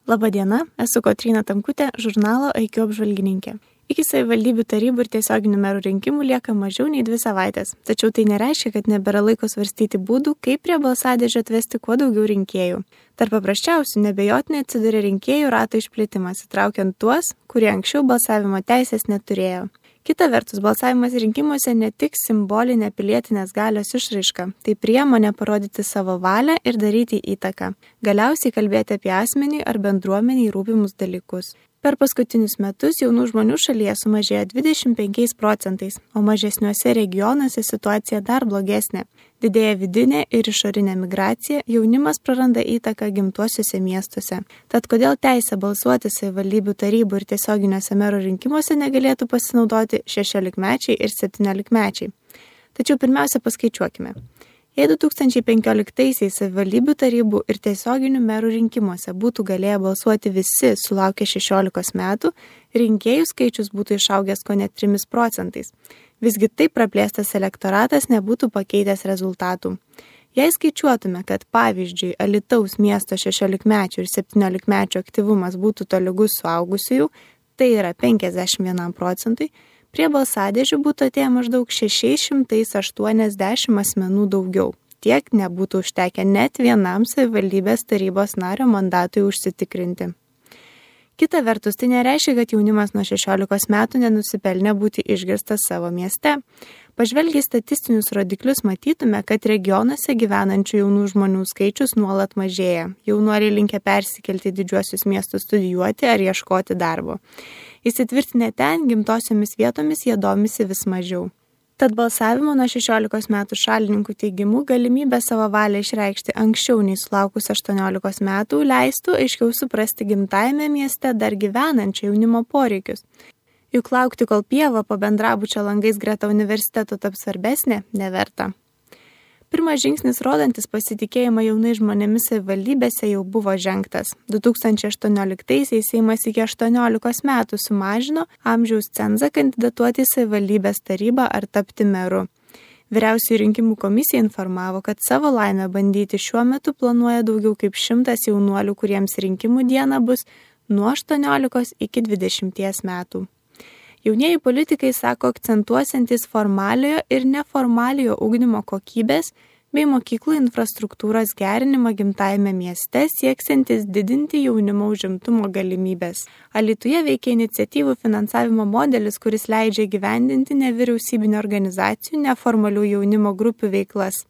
Labadiena, esu Kotryna Tamkutė, žurnalo IQ apžvalgininkė. Iki savivaldybių tarybų ir tiesioginių merų rinkimų lieka mažiau nei 2 savaitės, tačiau tai nereiškia, kad nebėra laiko svarstyti būdų, kaip prie balsadėžio atvesti kuo daugiau rinkėjų. Tarp paprasčiausių nebejotinai atsiduria rinkėjų rato išplėtimas, įtraukiant tuos, kurie anksčiau balsavimo teisės neturėjo. Kita vertus, balsavimas rinkimuose ne tik simbolinė pilietinės galios išraiška, tai priemonė parodyti savo valią ir daryti įtaką, galiausiai kalbėti apie asmenį ar bendruomeniai rūpimus dalykus. Per paskutinius metus jaunų žmonių šalyje sumažėjo 25%, o mažesniuose regionuose situacija dar blogesnė. Didėja vidinė ir išorinė migracija, jaunimas praranda įtaką gimtuosiuose miestuose. Tad kodėl teisę balsuoti savivaldybių tarybų ir tiesioginiuose merų rinkimuose negalėtų pasinaudoti 16-mečiai ir 17-mečiai? Tačiau pirmiausia paskaičiuokime. Jei 2015-aisiais savivaldybių tarybų ir tiesioginių merų rinkimuose būtų galėję balsuoti visi sulaukę 16 metų, rinkėjų skaičius būtų išaugęs kone 3%. Visgi taip praplėstas elektoratas nebūtų pakeitęs rezultatų. Jei skaičiuotume, kad pavyzdžiui Alytaus miesto 16-mečių ir 17-mečių aktyvumas būtų tolygus suaugusiųjų, tai yra 51%, prie balsadėžių būtų atėję maždaug 680 asmenų daugiau. Tiek nebūtų užtekę net vienam savivaldybės tarybos nario mandatui užsitikrinti. Kita vertus, tai nereiškia, kad jaunimas nuo 16 metų nenusipelnė būti išgirstas savo mieste. Pažvelgiai statistinius rodiklius matytume, kad regionuose gyvenančių jaunų žmonių skaičius nuolat mažėja. Jaunuoliai linkę persikelti į didžiuosius miestus studijuoti ar ieškoti darbo. Įsitvirtinę ten, gimtosiomis vietomis jie domisi vis mažiau. Tad balsavimo nuo 16 metų šalininkų teigimu galimybę savo valią išreikšti anksčiau nei sulaukus 18 metų leistų aiškiau suprasti gimtajame mieste dar gyvenančio jaunimo poreikius. Juk laukti, kol pieva po bendrabučio langais greta universiteto taps svarbesnė, neverta. Pirmas žingsnis rodantis pasitikėjimą jaunai žmonėmis savivaldybėse jau buvo žengtas. 2018-aisiais Seimas iki 18 metų sumažino amžiaus cenzą kandidatuoti į savivaldybės tarybą ar tapti meru. Vyriausioji rinkimų komisija informavo, kad savo laimę bandyti šiuo metu planuoja daugiau kaip 100 jaunuolių, kuriems rinkimų diena bus nuo 18 iki 20 metų. Jaunieji politikai sako akcentuosiantis formaliojo ir neformaliojo ugdymo kokybės bei mokyklų infrastruktūros gerinimą gimtajame mieste, sieksiantis didinti jaunimo užimtumo galimybės. Alytuje veikia iniciatyvų finansavimo modelis, kuris leidžia gyvendinti nevyriausybinio organizacijų neformalių jaunimo grupių veiklas.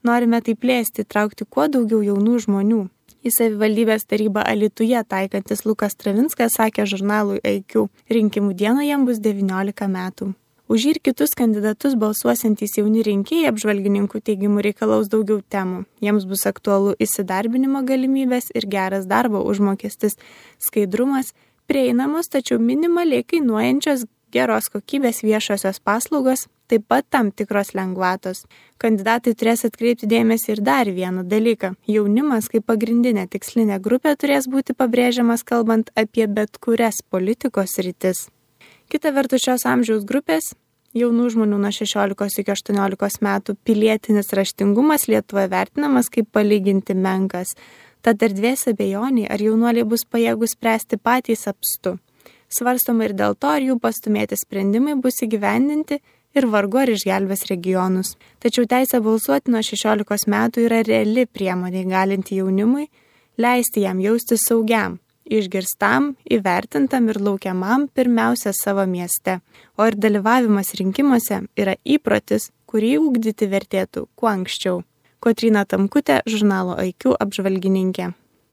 Norime tai plėsti, traukti kuo daugiau jaunų žmonių. Į savivaldybės tarybą Alytuje taikantis Lukas Travinskas sakė žurnalui IQ, rinkimų dieną jam bus 19 metų. Už jį ir kitus kandidatus balsuosiantys jauni rinkėjai apžvalgininkų teigimų reikalaus daugiau temų. Jiems bus aktualu įsidarbinimo galimybės ir geras darbo užmokestis, skaidrumas, prieinamos tačiau minimaliai kainuojančios geros kokybės viešosios paslaugos, taip pat tam tikros lengvatos. Kandidatai turės atkreipti dėmesį ir dar vieną dalyką. Jaunimas kaip pagrindinė tikslinė grupė turės būti pabrėžiamas kalbant apie bet kurias politikos sritis. Kita vertus šios amžiaus grupės, jaunų žmonių nuo 16 iki 18 metų pilietinis raštingumas Lietuvoje vertinamas kaip palyginti menkas. Tad erdvės abejoniai, ar jaunuoliai bus pajėgus spręsti patys apstu. Svarstoma ir dėl to, ar jų pastumėti sprendimai bus įgyvendinti ir vargu ar išgelbės regionus. Tačiau teisė balsuoti nuo 16 metų yra reali priemonė galinti jaunimui, leisti jam jausti saugiam, išgirstam, įvertintam ir laukiamam pirmiausia savo mieste. O ir dalyvavimas rinkimuose yra įprotis, kurį ugdyti vertėtų kuo anksčiau. Kotryna Tamkutė, žurnalo IQ apžvalgininkė.